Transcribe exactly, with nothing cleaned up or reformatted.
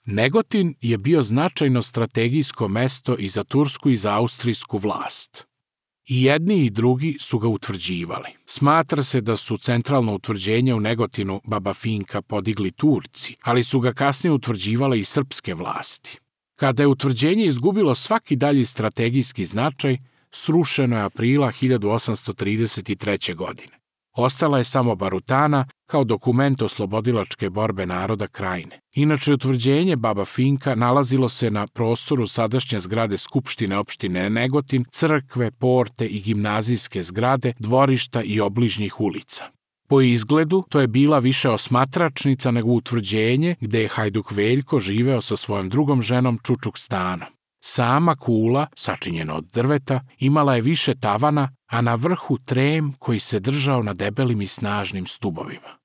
Negotin je bio značajno strategijsko mesto i za tursku i za austrijsku vlast. I jedni i drugi su ga utvrđivali. Smatra se da su centralno utvrđenje u Negotinu Baba Finka podigli Turci, ali su ga kasnije utvrđivale i srpske vlasti. Kada je utvrđenje izgubilo svaki dalji strategijski značaj, srušeno je aprila hiljadu osamsto trideset treće. godine. Ostala je samo Barutana kao dokument oslobodilačke borbe naroda Krajine. Inače, utvrđenje Baba Finka nalazilo se na prostoru sadašnje zgrade Skupštine opštine Negotin, crkve, porte i gimnazijske zgrade, dvorišta i obližnjih ulica. Po izgledu, to je bila više osmatračnica nego utvrđenje gde je Hajduk Veljko živeo sa svojom drugom ženom Čučukstanom. Sama kula, sačinjena od drveta, imala je više tavana, a na vrhu trem koji se držao na debelim i snažnim stubovima.